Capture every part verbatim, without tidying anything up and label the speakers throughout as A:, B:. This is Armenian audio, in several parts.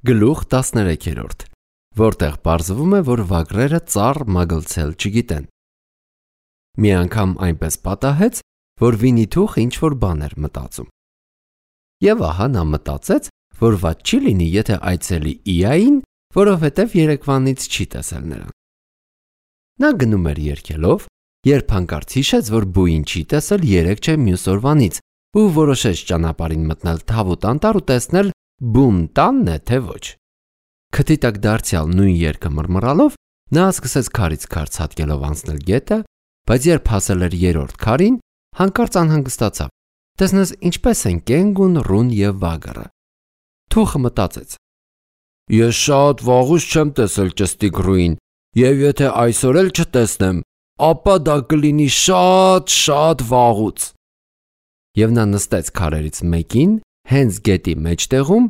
A: Գլուխ տասներեք, որտեղ պարզվում է, որ վագրերը ծառ մագլցել չգիտեն։ Մի անգամ այնպես պատահեց, որ Վինի-Թուխը ինչ-որ բան էր մտածում։ Եվ ահա նա մտածեց, որ վատ չի լինի, եթե այցելի Իային, որովհետև երեկվանից չի տեսել նրան։ Նա գնում էր երգելով, երբ հանկարծ հիշեց, որ բույն չի տեսել երեք չէ մյուս օրվանից ու որոշեց ճանապարհին մտնել թավուտ անտառ ու տեսնել բուն տանն է թե ոչ։ Քթի տակ դարձյալ նույն երգը մռմռալով նա սկսեց քարից քար ցատկելով անցնել գետը, բայց երբ հասել էր երրորդ քարին, հանկարծ անհանգստացավ։ Տեսնես ինչպես են կենգուն, ռուն եւ վագրը։ Թուխը մտածեց. Ես շատ վաղուց չեմ տեսել ճստիկ ռուին, եւ եթե այսօր էլ չտեսնեմ, ապա դա կլինի շատ-շատ վաղուց։ Եվ նա նստեց քարերից մեկին, հենց գետի մեջտեղում,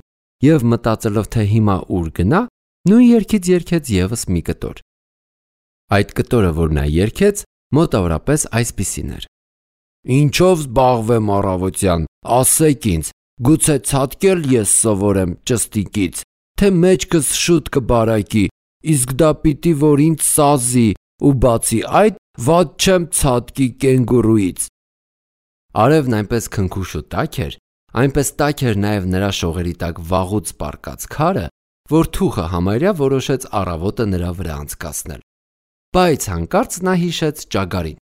A: եւ մտածելով, թե հիմա ուր գնա, նույն երգից երգեց եւս մի կտոր։ Այդ կտորը, որ նա երգեց, մոտավորապես այսպիսին էր. Ինչով զբաղվեմ առավոտյան, ասեք ինձ, գուցե ցատկել ես սովորեմ ճստիկից, թե մեջքս շուտ կբարակի, իսկ դա պիտի որ ինձ սազի, ու բացի այդ, վատ չեմ ցատկի կենգուրուից։ Արևն այնպես քնքուշ ու տաք էր, այնպես տաք էր նաև նրա շողերի տակ վաղուց պառկած քարը, որ Թուխը համարյա որոշեց առավոտը նրա վրա անցկացնել։ Բայց հանկարծ նա հիշեց ճագարին։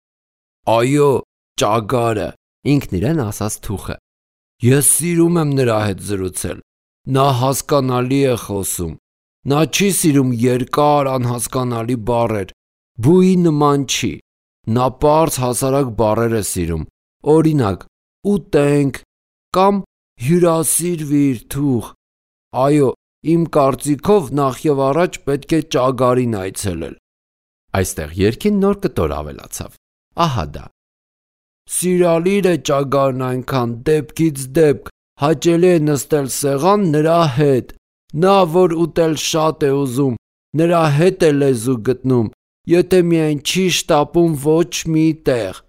A: Այո, ճագարը, ինքն իրեն ասաց Թուխը։ Ես սիրում եմ նրա հետ զրուցել։ Նա հասկանալի է խոսում։ Նա չի սիրում երկար անհասկանալի բառեր։ Բուի նման չի։ Նա պարզ հասարակ բառեր է սիրում։ Օրինակ, ուտենք կամ հյուրասիրվիր Թուխ։ Այո, իմ կարծիքով նախ եւ առաջ պետք է ճագարին այցելել։ Այստեղ երգին նոր կտոր ավելացավ։ Ահա դա։ Սիրալիր է ճագարն այնքան դեպքից դեպք, հաճելի է նստել սեղան նրա հետ։ Նա որ ուտել շատ է ուզում, նրա հետ է լեզու գտնում, եթե միայն չի շտապում ոչ մի տեղ։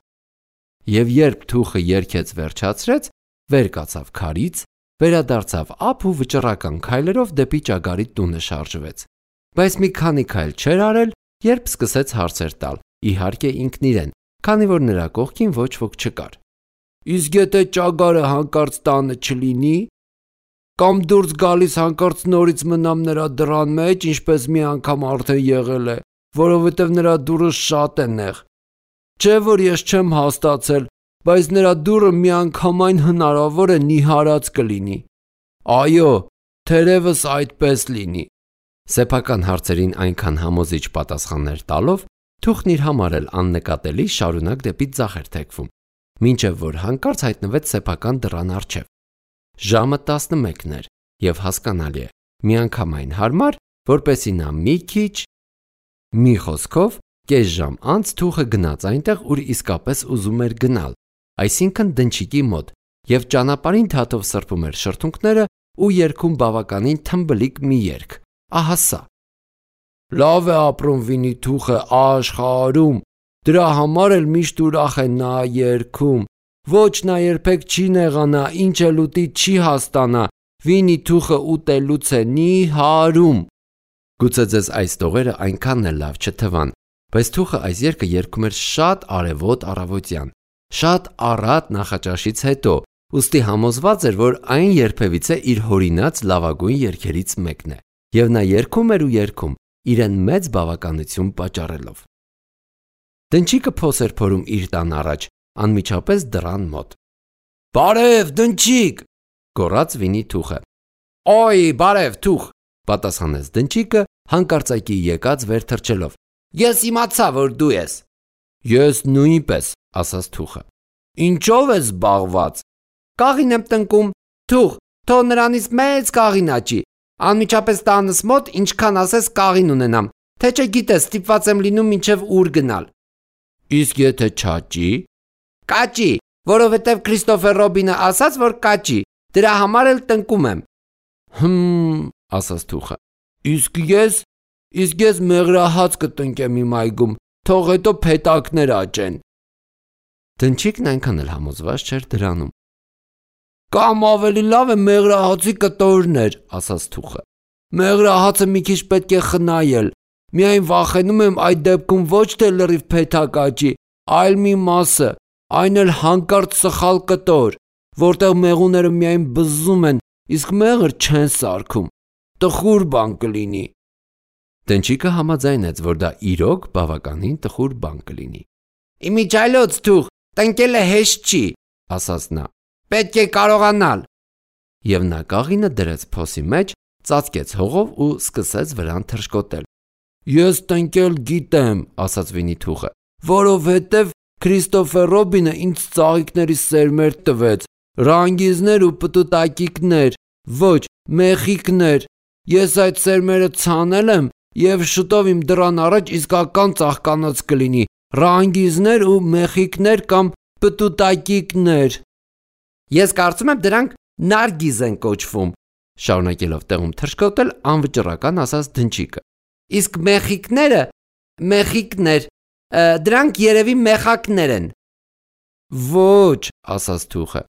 A: Եվ երբ Թուխը երգեց վերջացրեց, վեր կացավ քարից, վերադարձավ ափ ու վճռական քայլերով դեպի ճագարի տունը շարժվեց։ Բայց մի քանի քայլ չէր արել, երբ սկսեց հարցեր տալ, իհարկե ինքն իրեն, քանի որ նրա կողքին ոչ ոք չկար։ Իսկ եթե ճագարը հանկարծ տանը չլինի, կամ դուրս գալիս հանկարծ նորից մնամ նրա դռան մեջ, ինչպես մի անգամ արդեն եղել է, որովհետև նրա դուռը շատ է նեղ։ Չէ որ ես չեմ հաստացել, բայց նրա դուռը միանգամայն հնարավոր է նիհարած կլինի։ Այո, թերևս այդպես լինի։ Սեփական հարցերին այնքան համոզիչ պատասխաններ տալով, Թուխն իր համար էլ աննկատելի շարունակ դեպի ձախ էր թեքվում, մինչև որ հանկարծ հայտնվեց սեփական դռան առջև։ Ժամը տասնմեկն էր, եւ հասկանալի է, միանգամայն հարմար, որպեսզի նա մի քիչ, մի խոսքով, կես ժամ անց Թուխը գնաց այնտեղ, ուր իսկապես ուզում էր գնալ, այսինքն դնչիկի մոտ, եւ ճանապարհին թաթով սրբում էր շրթունքները ու երգում բավականին թմբլիկ մի երգ։ Ահա սա. Լավ է ապրում Վինի-Թուխը աշխարհում, դրա համար էլ միշտ ուրախ է նա երգում։ Ոչ նա երբեք չի նեղանա, ինչ էլ ուտի չի հաստանա, Վինի-Թուխը ուտելուց է նիհարում։ Գուցե ձեզ այս տողերը այնքան էլ լավ չթվան, բայց Թուխը այս երգը երգում էր շատ արևոտ առավոտյան, շատ առատ նախաճաշից հետո, ուստի համոզված էր, որ այն երբևիցե իր հորինած լավագույն երգերից մեկն է, եւ նա երգում էր ու երգում, իրեն մեծ բավականություն պատճառելով։ Դնչիկը փոս էր փորում իր տան առաջ, անմիջապես դռան մոտ։ Բարև, դնչիկ, գոռաց Վինի-Թուխը։ Օй, բարև, Թուխ, պատասխանեց դնչիկը, հանկարծակի եկած վեր թռչելով։ Ես իմացա, որ դու ես։ Ես նույնպես, ասաց Թուխը։ Ինչով ես զբաղված։ Կաղին եմ տնկում։ Թուխ, թող նրանից մեծ կաղին աճի։ Անմիջապես տանս մոտ ինչքան ասես կաղին ունենամ, թե չէ գիտես, ստիպված եմ լինում մինչև ուր գնալ։ Իսկ եթե չաճի։ Կաճի, որովհետև Քրիստոֆեր Ռոբինը ասաց, որ կաճի, դրա համար էլ տնկում եմ։ Հմ, ասաց Թուխը։ Իսկ ես, իսկ ես մեղրահաց կտնկեմ իմ այգում, թող հետո փետակներ աճեն։ Դնչիկն այնքան էլ համոզված չէր դրանում։ Կամ ավելի լավ է մեղրահացի կտորներ, ասաց Թուխը։ Մեղրահացը մի քիչ պետք է խնայել։ Միայն վախենում եմ այդ դեպքում ոչ թե լրիվ փեթակաճի, այլ մի մասը, այն էլ հանկարծ սխալ կտոր, որտեղ մեղուները միայն բզզում են, իսկ մեղր չեն սարքում։ Տխուր բան կլինի։ Տնչիկը համաձայնեց, որ դա իրոք բավականին տխուր բան կլինի։ Իմիջայլոց թուղ, տնկելը հեշտ չի, ասաց նա։ Պետք է կարողանալ։ Եվ նա կաղինը դրեց փոսի մեջ, ծածկեց հողով ու սկսեց վրան թռչկոտել։ Ես տնկել գիտեմ, ասաց Վինիթուղը, որովհետև Քրիստոֆեր Ռոբինը ինձ ծաղիկների սերմեր տվեց, ռանգիզներ ու պտուտակիկներ, ոչ, մեխիկներ։ Ես այդ սերմերը ցանել եմ և շուտով իմ դռան առաջ իսկական ծաղկանոց կլինի, ռանգիզներ ու մեխիկներ կամ պտուտակիկներ։ Ես կարծում եմ դրանք նարգիզ են կոչվում, շարունակելով տեղում թռչկոտել անվճռական ասաց Դնչիկը։ Իսկ մեխիկները, մեխիկներ, դրանք երևի մեխակներ են։ Ոչ, ասաց Թուխը,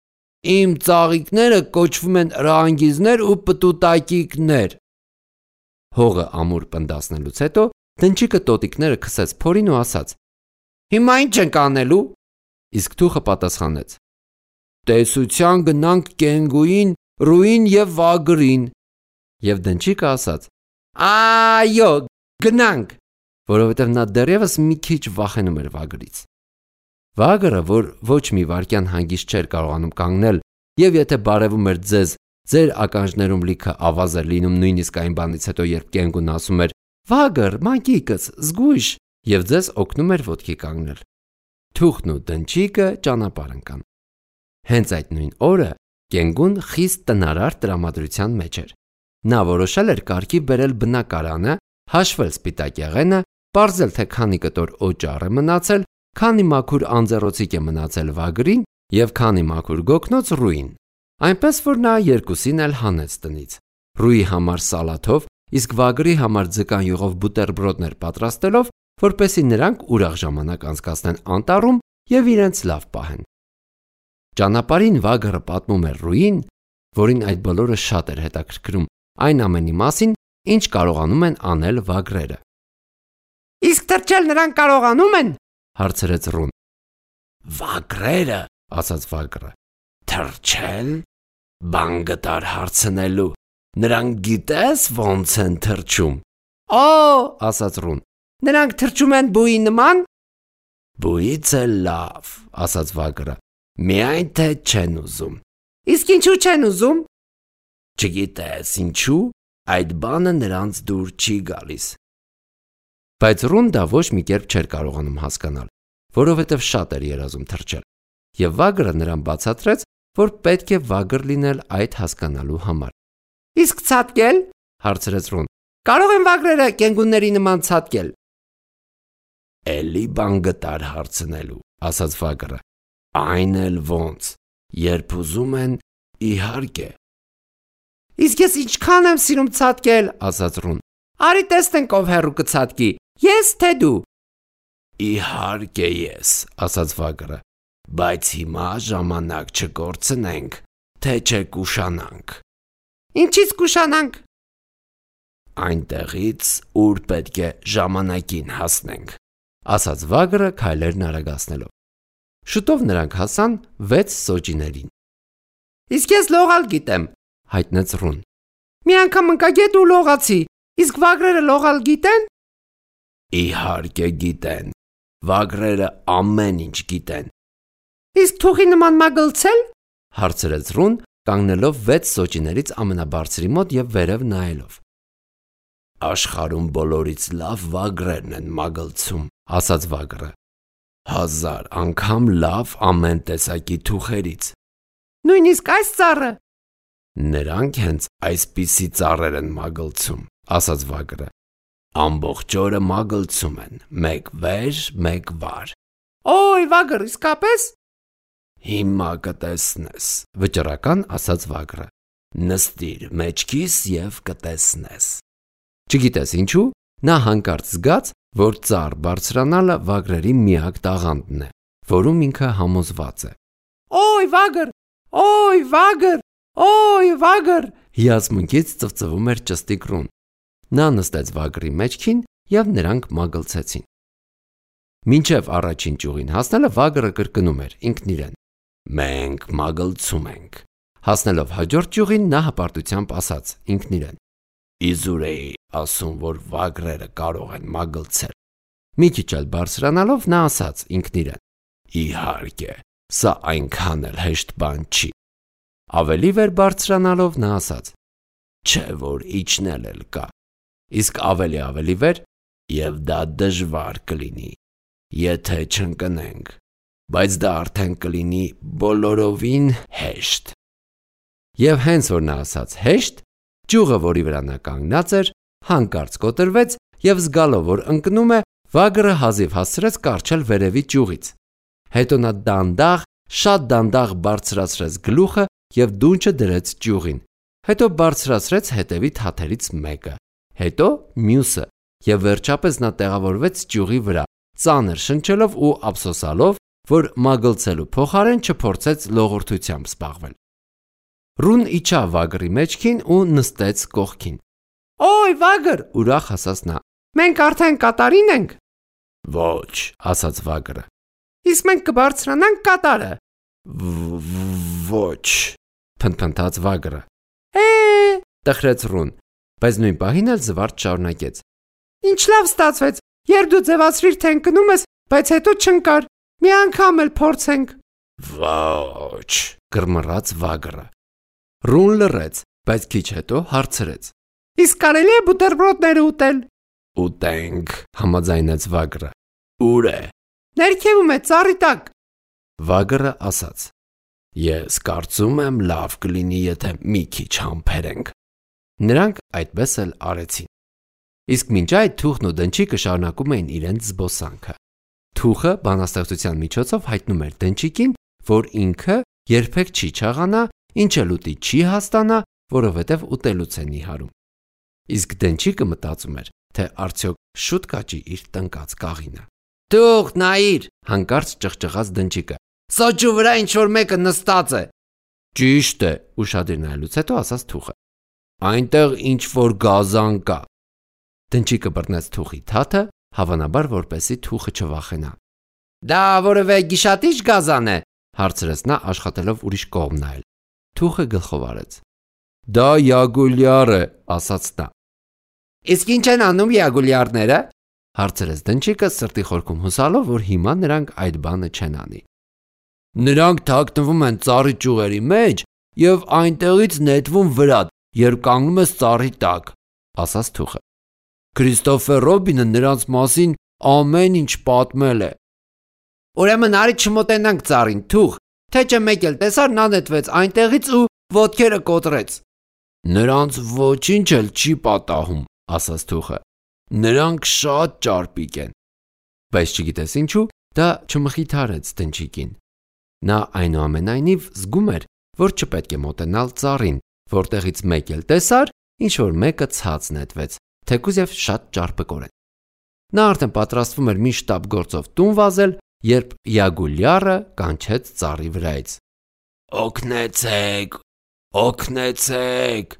A: իմ ծաղիկները կոչվում են ռանգիզներ ու պտուտակիկներ։ Հողը ամուր պնդասնելուց հետո Դնչիկը տոտիկները քսեց փորին ու ասաց. Հիմա ինչ ենք անելու։ Իսկ Թուխը պատասխանեց. Տեսության գնանք Կենգուին, Ռուին և Վագրին։ Եվ Դնչիկը ասաց. Այո, գնանք, որովհետև նա դեռևս մի քիչ վախենում էր Վագրից։ Վագրը, որ ոչ մի վայրկյան հանգիստ չէր կարողանում կանգնել, եւ եթե բարևում էր ձեզ, ձեր ականջներում լիքը ավազ էր լինում նույնիսկ այն բանից հետո, երբ Կենգուն ասում էր. Վագր, մանկիկս, զգույշ, եւ ձեզ օգնում էր ոտքի կանգնել։ Թուղթն ու Դնչիկը ճանապարհ ընկան։ Հենց այդ նույն օրը Կենգուն խիստ տնարար տրամադրության մեջ էր։ Նա որոշել էր կարգի բերել բնակարանը, հաշվել սպիտակ եղենը, պարզել թե քանի կտոր օճառ է մնացել, քանի մաքուր անձեռոցիկ է մնացել Վագրին եւ քանի մաքուր գոգնոց Ռուին։ Այնպես որ նա երկուսին էլ հանեց տնից։ Ռուի համար սալաթով, իսկ Վագրի համար ձկան յուղով բուտերբրոդներ պատրաստելով, որպեսզի նրանք ուրախ ժամանակ անցկացնեն անտառում եւ իրենց լավ պահեն։ Ճանապարհին Վագրը պատմում էր Ռուին, որին այդ բոլորը շատ էր հետաքրքրում, այն ամենի մասին, ինչ կարողանում են անել վագրերը։ Իսկ թռչել նրանք կարողանում են, հարցրեց Ռուն։ Վագրերը, ասաց Վագրը, թռչել, բան գտար հարցնելու, նրանք գիտես ոնց են թռչում։ Օ, ասաց Ռուն, նրանք թռչում են բույի նման։ Բույից է լավ, ասաց Վագրը, միայն թե չեն ուզում։ Իսկ ինչու չեն ուզում։ Չգիտես ինչու, այդ բանը նրանց դուր չի գալիս։ Բայց Ռուն դա ոչ մի կերպ չէր կարողանում հասկանալ, որովհետև շատ էր երազում թռչել, եւ Վագրը նրան բացատրեց, որ պետք է վագր լինել այդ հասկանալու համար։ Իսկ ցատկել, հարցրեց Ռուն, կարող են վագրերը կենգունների նման ցատկել։ Էլի բան գտար հարցնելու, ասաց Վագրը, այն էլ ոնց, երբ ուզում են, իհարկե։ Իսկ ես ինչքան եմ սիրում ցատկել, ասաց Ռուն։ Արի տեսնենք ով հեռու կցատկի, ես թե դու։ Իհարկե ես, ասաց Վագրը, բայց հիմա ժամանակ չկորցնենք, թե չկուշանանք։ Ինչից կուշանանք։ Այնտեղից, ուր պետք է ժամանակին հասնենք, ասաց Վագրը քայլերն արագացնելով։ Շուտով նրանք հասան վեց սոճիներին։ Իսկ ես լողալ գիտեմ, հայտնեց Ռուն։ Մի անգամ ընկա գետ ու լողացի, իսկ վագրերը լողալ գիտեն։ Իհարկե գիտեն, վագրերը ամեն ինչ գիտեն։ Իսկ թուղի նման մագլցել, հարցրեց Ռուն, կանգնելով վեց սոճիներից ամենաբարձրի մոտ եւ վերև նայելով։ Աշխարհում բոլորից լավ վագրերն են մագլցում, ասաց Վագրը։ Հազար անգամ լավ ամեն տեսակի թուղերից։ Նույնիսկ այս ծառը։ Նրանք հենց այսպիսի ծառեր են մագլցում, ասաց Վագրը։ Ամբողջ օրը մագլցում են, մեկ վեր, մեկ վար։ Օй, Վագր, իսկապես։ Հիմա կտեսնես, վճռական ասաց Վագրը։ Նստիր մեջքիս եւ կտեսնես։ Չգիտես ինչու, նա հանկարծ զգաց, որ ծառ բարձրանալը վագրերի միակ տաղանդն է, որում ինքը համոզված է։ Օй, Վագր, օй, Վագր, օй, Վագր, Հիացմունքից ծվծվում էր ճստիկ Ռուն։ Նա նստեց Վագրի մեջքին և նրանք մագլցեցին։ Մինչև առաջին ճյուղին հասնելը Վագրը կրկնում էր ինքն իրեն. «Մենք մագլցում ենք»։ Հասնելով հաջորդ ճյուղին նա հպարտությամբ ասաց ինքն իրեն. «Իզուր էի ասում, որ վագրերը կարող են մագլցել»։ Մի քիչ էլ բարձրանալով նա ասաց ինքն իրեն. «Իհարկե, սա այնքան էլ հեշտ բան չի»։ Ավելի վեր բարձրանալով նա ասաց. «Չէ որ իջնել էլ կա»։ Իսկ ավելի ավելի վեր. «Եվ դա դժվար կլինի, եթե չընկնենք, բայց դա արդեն կլինի բոլորովին հեշտ»։ Եվ հենց որ նա ասաց հեշտ, ճյուղը, որի վրա նա կանգնած էր, հանկարծ կոտրվեց և զգալով, որ ընկնում է, Վագրը հազիվ հասցրեց կառչել վերևի ճյուղից։ Հետո նա դանդաղ, շատ դանդաղ բարձրացրեց գլուխը և դունչը դրեց ճյուղին։ Հետո բարձրացրեց հետևի թաթերից մեկը, հետո մյուսը, և վերջապես նա տեղավորվեց ճյուղի վրա, ծանր շնչելով ու ափսոսալով, որ մագլցելու փոխարեն չփորձեց լողորթությամբ զբաղվել։ Ռուն իջավ Վագրի մեջքին ու նստեց կողքին։ «Օй, Վագր», ուրախ ասաց նա, «մենք արդեն կատարին ենք»։ «Ոչ», ասաց Վագրը։ «Իսկ մենք կբարձրանանք կատարը»։ «Ոչ», փնթփնթաց Վագրը։ «Է», տխրեց Ռուն, բայց նույն պահին էլ զվարթ շարունակեց. «Ինչ լավ ստացվեց, երբ դու ձևացրիր, թե ընկնում ես, բայց հետո չընկար, մի անգամ էլ փորձենք»։ «Ոչ», գրմռաց Վագրը։ Ռուն լռեց, բայց քիչ հետո հարցրեց. «Իսկ կարելի է բուտերբրոդները ուտել»։ «Ուտենք», համաձայնեց Վագրը։ «Ուր է»։ «Ներքևում է, ծառի տակ»։ Վագրը ասաց. «Ես կարծում եմ լավ կլինի, եթե մի քիչ համբերենք»։ Նրանք այդպես էլ արեցին։ Իսկ մինչ այդ թուխն ու դնչիկը շարունակում էին իրենց զբոսանքը։ Թուխը բանաստեղծության միջոցով հայտնում էր դնչիկին, որ ինքը երբեք չի չաղանա, ինչ էլ ուտի չի հաստանա, որովհետև ուտելուց է նիհարում։ Իսկ դնչիկը մտածում էր, թե արդյոք շուտ կաճի իր տնկած կաղինը։ «Թուղ, նայիր», հանկարծ ճղճղաց դնչիկը, «սոճու վրա ինչ-որ մեկը նստած է»։ «Ճիշտ է», ուշադիր նայելուց հետո ասաց թուխը, «այնտեղ ինչ-որ գազան կա»։ Դնչիկը բռնեց թուխի թաթը, հավանաբար որպեսզի թուխը չվախենա։ «Դա որևէ գիշատիչ գազան է», հարցրեց նա աշխատելով ուրիշ կողմ նայել։ Թուխը գլխով արեց։ «Դա յագուլյար է», ասաց նա։ «Իսկ ինչ են անում յագուլյարները»։ Հարցրեց դնչիկը սրտի խորքում հուսալով, որ հիմա նրանք այդ բանը չեն անի։ «Նրանք թաքնվում են ծառի ճյուղերի մեջ և այնտեղից նետվում վրա, երբ կանգնում ես ծառի տակ», ասաց թուխը։ «Քրիստոֆեր Ռոբինը նրանց մասին ամեն ինչ պատմել է»։ «Ուրեմն արի չմոտենանք ծառին, թուղ, թե չէ մեկ էլ տեսար, նա նետվեց այնտեղից ու ոտքերը կոտրեց»։ «Նրանց ոչինչ էլ չի պատահում», ասաց թուխը։ «Նրանք շատ ճարպիկ են»։ Բայց չգիտես ինչու, դա չմխիթարեց դնչիկին։ Նա այնուամենայնիվ զգում էր, որ չպետք է մոտենալ ծառին, որտեղից մեկ էլ տեսար, ինչ-որ մեկը ցած նետվեց, թեկուզ և շատ ճարպկորեն։ Նա արդեն պատրաստվում էր մի շտապ գործով տուն վազել, երբ յագուլյարը կանչեց ծառի վրայից. «Օգնեցեք, օգնեցեք»։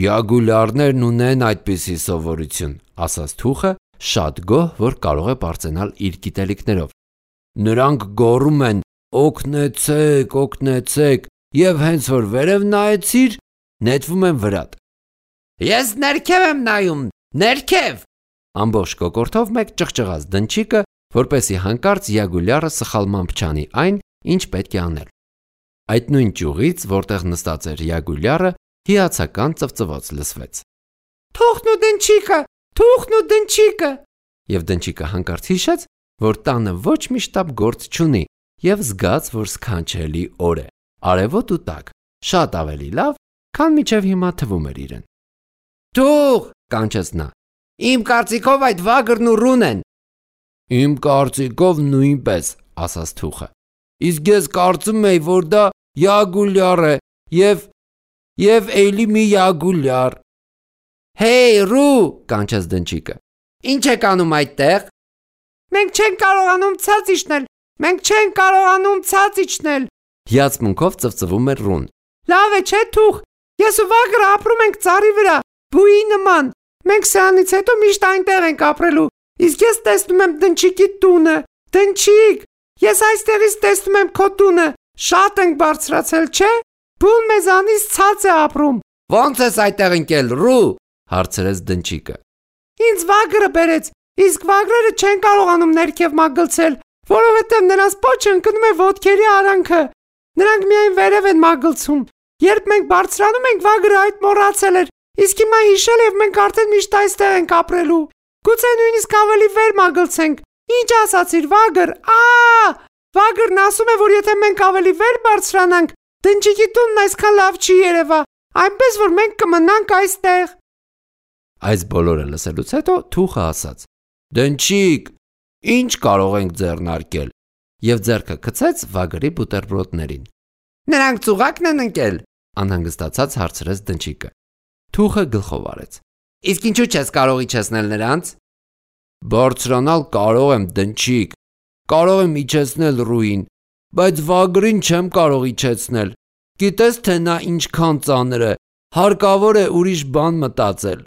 A: «Յագուլյարներն ունեն այդպիսի սովորություն», ասաց թուխը, շատ գոհ, որ կարող է պարծենալ իր գիտելիքներով։ «Նրանք գոռում են. օգնեցեք, օգնեցեք, և հենց որ վերև նայեցիր, նետվում են վրատ»։ «Ես ներքև եմ նայում, ներքև»։ Ամբողջ կոկորդով մեկ ճղճղաց դնչիկը, որպեսզի հանկարծ յագուլյարը սխալմամբ չանի այն, ինչ պետք է անել։ Այդ նույն ճյուղից, որտեղ նստած էր յագուլյարը, հիացական ծվծվոց լսվեց. «Թուղն ու դնչիկը, թուղն ու դնչիկը»։ Եվ դնչիկը հանկարծ հիշեց, որ տանը ոչ մի շտապ գործ չունի, և զգաց, որ սքանչելի օր է, արևոտ ու տաք, շատ ավելի լավ, քան մինչև հիմա թվում էր իրեն։ «Թուղ», կանչեց նա, «իմ կարծիքով այդ Վագրն ու Ռուն են»։ «Իմ կարծիքով նույնպես», ասաց թուխը։ «Իսկ ես կարծում էի, որ դա յագուլյար է և և էլի մի յագուլյար»։ «Հեյ, Ռու», կանչեց դնչիկը, «ինչ եք անում այդտեղ»։ «Մենք չենք կարողանում ցած իջնել, մենք չենք կարողանում ցած իջնել», հիացմունքով ծվծվում էր Ռուն։ «Լավ է, չէ՞ թուղ,
B: Ես ու Վագրը ապրում ենք ծառի վրա, բույի նման։ Մենք սրանից հետո միշտ այնտեղ ենք ապրելու։ Իսկ ես տեսնում եմ Դնչիկի տունը։ Դնչիկ, ես այստեղից տեսնում եմ քո տունը։ Շատ ենք բարձրացել, չէ՞։ Բուն մեզանից ցած է ապրում։
A: Ո՞նց ես այդտեղ ընկել, Ռու, հարցրեց Դնչիկը։
B: Ինձ Վագրը բերեց, իսկ Վագրերը չեն կարողանում ներքև մագլցել, որովհետև նրանց պոչը ընկնում է ոտքերի արանքը։ Նրանք միայն վերև են մագլցում։ Երբ մենք բարձրանում ենք, Վագրը այդ մոռացել էր, իսկ հիմա հիշել եւ մենք արդեն միշտ այստեղ ենք ապրելու։ Գուցե նույնիսկ ավելի վեր մագլցենք։ Ինչ ասացիր, Վագր։ Ա! Վագրն ասում է, որ եթե մենք ավելի վեր բարձրանանք, Դնչիկի տունն այսքան լավ չի երևա, այնպես որ մենք կմնանք այստեղ։
A: Այս բոլորը լսելուց հետո Թուխը ասաց. Դնչիկ, ինչ կարող ենք ձեռնարկել, եւ ձեռքը գցեց Վագրի բուտերբրոդներին։
B: Նրանք ծուղակն են ընկել,
A: անհանգստացած հարցրեց Դնչիկը։ Թուխը գլխով արեց.
B: Իսկ ինչու չես կարող իջեցնել նրանց։
A: Բարձրանալ կարող եմ, Դնչիկ, կարող եմ իջեցնել Ռուին, բայց Վագրին չեմ կարող իջեցնել։ Գիտես թե նա ինչքան ծանր է, հարկավոր է ուրիշ բան մտածել։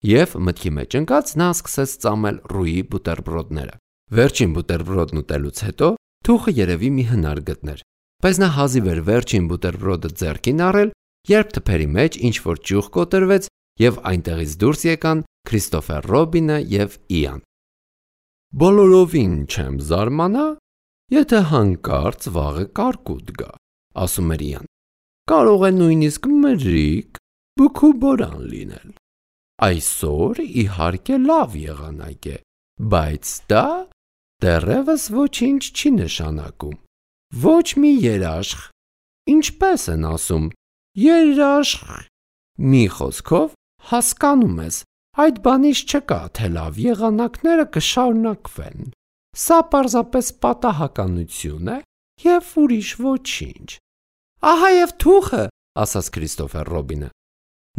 A: Եվ մտքի մեջ ընկած նա սկսեց ծամել Ռուի բուտերբրոդները։ Վերջին բուտերբրոդն ուտելուց հետո Թուխը երևի մի հնար գտներ, բայց նա հազիվ էր վերջին բուտերբրոդը ձեռքին առել, երբ թփերի մեջ ինչ-որ ճյուղ կոտրվեց եւ այնտեղից դուրս եկան Քրիստոֆեր Ռոբինը եւ Իան։ Բոլորովին չեմ զարմանա, եթե հանկարծ վաղը կարկուտ գա, ասում էր Իան։ Կարող է նույնիսկ մրրիկ, բուքուբորան լինել։ Այսօր իհարկե լավ եղանակ է, բայց դա դեռևս ոչինչ չի նշանակում։ Ոչ մի երաշխ, ինչպես են ասում, երաշխ։ Մի խոսքով հասկանում ես, այդ բանից չկա, թե լավ եղանակները կշարունակվեն։ Սա պարզապես պատահականություն է եւ ուրիշ ոչինչ։
B: Ահա եւ Թուխը,
A: ասաց Քրիստոֆեր Ռոբինը։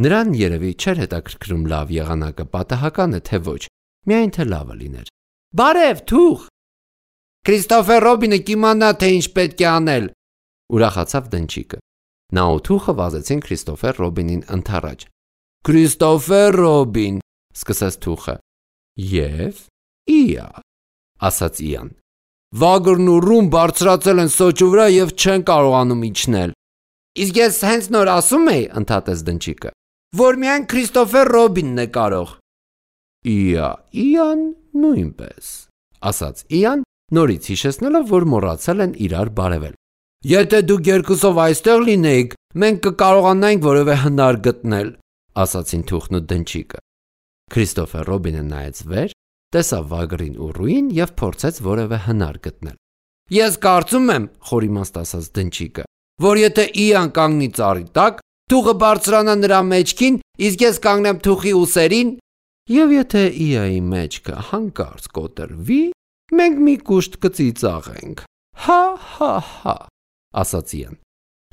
A: Նրան երևի չէր հետաքրքրում լավ եղանակը պատահական է թե ոչ, միայն թե լավը լիներ։
B: Բարև, Թուխ։
A: Քրիստոֆեր Ռոբինը կիմանա, թե ինչ պետք է անել, ուրախացավ Դնչիկը։ Նա ու Թուխը վազեցին Քրիստոֆեր Ռոբինին ընդառաջ։ Քրիստոֆեր Ռոբին, սկսեց Թուխը։ Եվ Իա, ասաց Իան։ Վագրն ու Ռուն բարձրացել են սոճու վրա եւ չեն կարողանում իջնել։
B: Իսկ ես հենց նոր ասում էի, ընդհատեց Դնչիկը, որ միայն Քրիստոֆեր Ռոբինն է կարող։
A: Իա, Իան նույնպես, ասաց Իան, նորից հիշեցնելով, որ մոռացել են իրար բարևել։ Եթե դուք երկուսով այստեղ լինեիք, մենք կկարողանայինք որևէ հնար գտնել, ասացին Թուխն ու Դնչիկը։ Քրիստոֆեր Ռոբինը նայեց վեր, տեսավ Վագրին ու Ռուին եւ փորձեց որևէ հնար գտնել։ Ես կարծում եմ, խորիմաստ ասաց Դնչիկը, որ եթե Իան կանգնի ծառի տակ, Թուխը բարձրանա նրա մեջքին, իսկ ես կանգնեմ Թուխի ուսերին, եւ եթե Իայի մեջքը հանկարծ կոտրվի, մենք մի կուշտ կծիծաղենք։ Հա, հա, հա, ասաց Իան։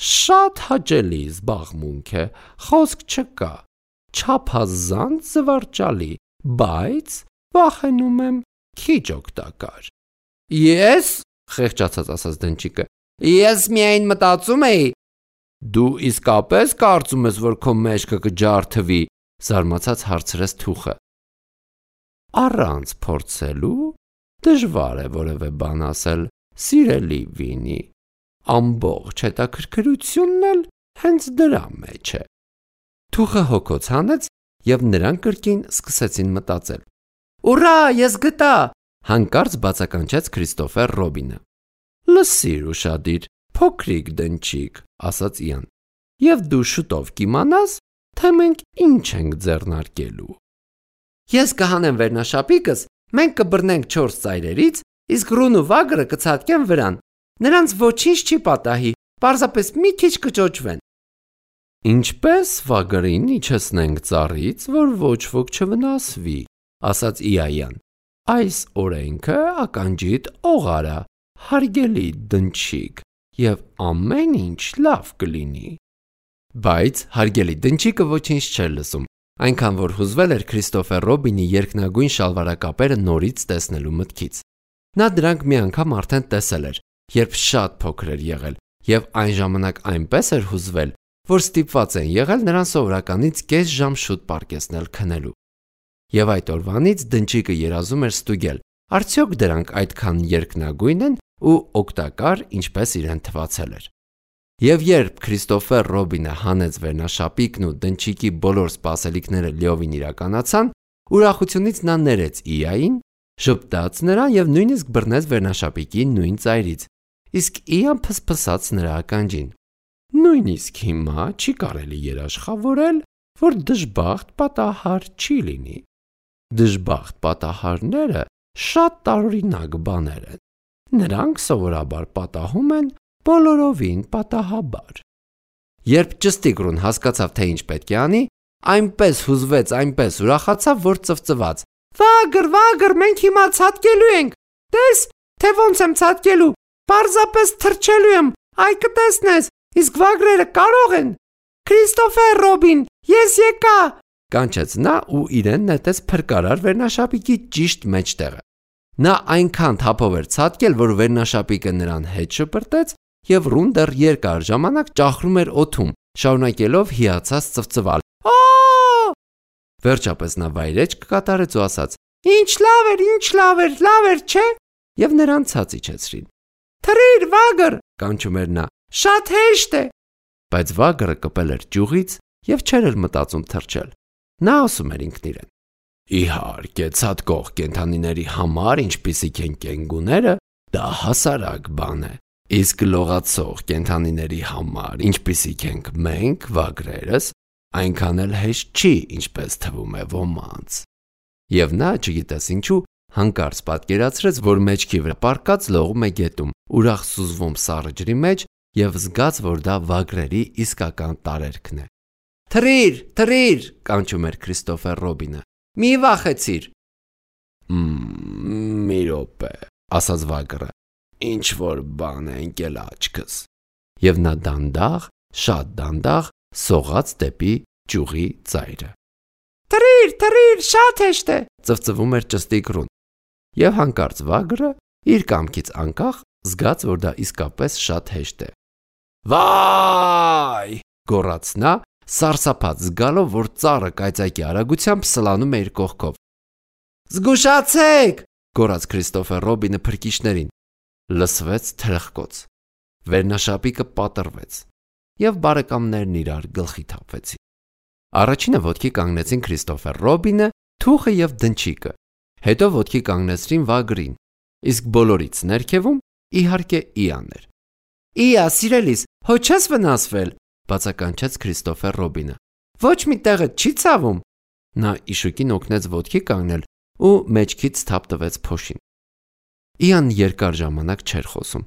A: Շատ հաճելի զբաղմունք է, խոսք չկա, չափազանց զվարճալի, բայց վախենում եմ քիչ օգտակար։ Ես, խեղճացած ասաց Դնչիկը, ես միայն մտածում էի։ Դու իսկապես կարծում ես, որ քո մեջքը կջարդվի, զարմացած հարցրեց Թուխը։ Առանց փորձելու դժվար է որևէ բան ասել, սիրելի Վինի։ Ամբողջ հետաքրքրությունն էլ հենց դրա մեջ է։ Թուխը հոգոց հանեց եւ նրանք կրկին սկսեցին մտածել։
B: Ուրա, ես գտա,
A: հանկարծ բացականչեց Քրիստոֆեր Ռոբինը։ Լսիր ուշադիր, փոքրիկ Դնչիկ, ասաց Իան, եւ դու շուտով կիմանաս, թե մենք ինչ ենք ձեռնարկելու։
B: Ես կհանեմ վերնաշապիկս, մենք կբռնենք չորս ծայրերից, իսկ Ռուն ու Վագրը կցատկեն վրան։ Նրանց ոչինչ չի պատահի, պարզապես մի քիչ կճոճվեն։
A: Ինչպես Վագրին իջեցնենք ծառից, որ ոչ ոք չվնասվի, ասաց Իայան։ Այս օրենքը ականջիդ օղարա, հարգելի Դնչիկ, եւ ամեն ինչ լավ կլինի։ Բայց հարգելի Դնչիկը ոչինչ չէր լսում, այնքան որ հուզվել էր Քրիստոֆեր Ռոբինի երկնագույն շալվարակապերը նորից տեսնելու մտքից։ Նա դրանք մի անգամ արդեն տեսել էր, երբ շատ փոքր էր եղել, եւ այն ժամանակ այնպես էր հուզվել, որ ստիպված են եղել նրան սովորականից կես ժամ շուտ պառկեցնել քնելու։ Եվ այդ օրվանից դնչիկը երազում էր ստուգել, արդյոք դրանք այդքան երկնագույն են ու օգտակար, ինչպես իրեն թվացել էր։ Եվ երբ Քրիստոֆեր Ռոբինը հանեց վերնաշապիկն ու դնչիկի բոլոր սպասելիքները լիովին իրականացան, ուրախությունից նա ներեց Իային, ժպտաց նրան եւ նույնիսկ բռնեց վերնաշապիկի նույն ծայրից, իսկ Իան փսփսաց նրա ականջին։ Նույնիսկ հիմա չի կարելի երաշխավորել, որ դժբախտ պատահար չի լինի։ Դժբախտ պատահարները շատ տարօրինակ բաներ են։ Նրանք սովորաբար պատահում են բոլորովին պատահաբար։ Երբ ճստիկրուն հասկացավ, թե ինչ պետք է անի, այնպես հուզվեց, այնպես ուրախացավ, որ ծվծված.
B: Վագր, վագր, մենք հիմա ցատկելու ենք։ Տես, թե ոնց եմ ցատկելու։ Պարզապես թրջելու եմ, այ կտեսնես, իսկ վագրերը կարող են։ Քրիստոֆեր Ռոբին, ես եկա։
A: Կանչեց նա ու իրեն նետեց փրկարար վերնաշապիկի ճիշտ մեջտեղը։ Նա այնքան թափով էր ցատկել, որ վերնաշապիկը նրան հետ շպրտեց եւ ռուն դեռ երկար ժամանակ ճախրում էր օդում, շարունակելով հիացած ծվծվալ։
B: Օ!
A: Վերջապես նա վայրեջք կատարեց ու ասաց.
B: Ինչ լավ էր, ինչ լավ էր, լավ էր, չէ՞։
A: Եվ նրան ցած իջեցրին։
B: Թռիր, վագր,
A: կանչում էր նա։
B: Շատ հեշտ է։
A: Բայց վագրը կպել էր ճյուղից եւ չէր էլ մտածում թռչել։ Նա ասում էր ինքն իրեն. Իհարկե, ցատկող կենդանիների համար, ինչպիսիք են կենգուները, դա հասարակ բան է։ Իսկ լողացող կենդանիների համար, ինչպիսիք ենք մենք, վագրերս, այնքան էլ հեշտ չի, ինչպես թվում է ոմանց։ Եվ նա, չգիտես ինչու, հանկարծ պատկերացրեց, որ մեջքի վրա պառկած լողում է գետում, ուրախ սուզվում սառը ջրի մեջ եւ զգաց, որ դա վագրերի իսկական տարերքն է։ Թռիր, թռիր, կանչում էր Քրիստոֆեր Ռոբինը։ Մի վախեցիր։ Մմ, մի րոպե, ասաց վագրը։ Ինչ որ բան է ընկել աչքս։ Եվ նա դանդաղ, շատ դանդաղ սողաց դեպի ճյուղի ծայրը։
B: Թռիր, թռիր, շատ հեշտ է,
A: ծվծվում էր ճստիկրուն։ Եվ հանկարծ վագրը իր կամքից անկախ զգաց, որ դա իսկապես շատ հեշտ է։ Վայ! Գոռաց նա, սարսափած զգալով, որ ծառը կայծակի արագությամբ սլանում է իր կողքով։ Զգուշացեք! Գոռաց Քրիստոֆեր Ռոբինը փրկիչներին։ Լսվեց թրխկոց։ Վերնաշապիկը պատռվեց եւ բարեկամներն իրար գլխի թափվեցին։ Առաջինը ոտքի կանգնեցին Քրիստոֆեր Ռոբինը, թուխը եւ դնչիկը։ Հետո ոտքի կանգնեցրին վագրին, իսկ բոլորից ներքևում իհարկե Իան էր։ Իա, սիրելիս, հո չես վնասվել, բացականչեց Քրիստոֆեր Ռոբինը։ Ոչ մի տեղը չի ցավում։ Նա իշուկին օգնեց ոտքի կանգնել ու մեջքից թափ տվեց փոշին։ Իան երկար ժամանակ չէր խոսում։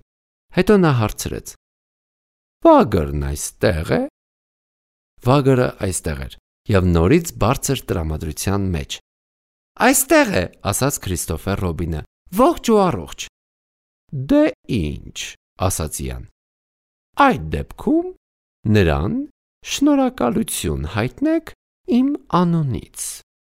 A: Հետո նա հարցրեց. Վագրն այստեղ է։ Վագրը այստեղ էր եւ նորից բարձր տրամադրության մեջ։ Այստեղ է, ասաց Քրիստոֆեր Ռոբինը, ողջ ու առողջ։ Դե ինչ, ասաց Իան։ Այդ դեպքում նրան շնորհակալություն հայտնեք իմ անունից։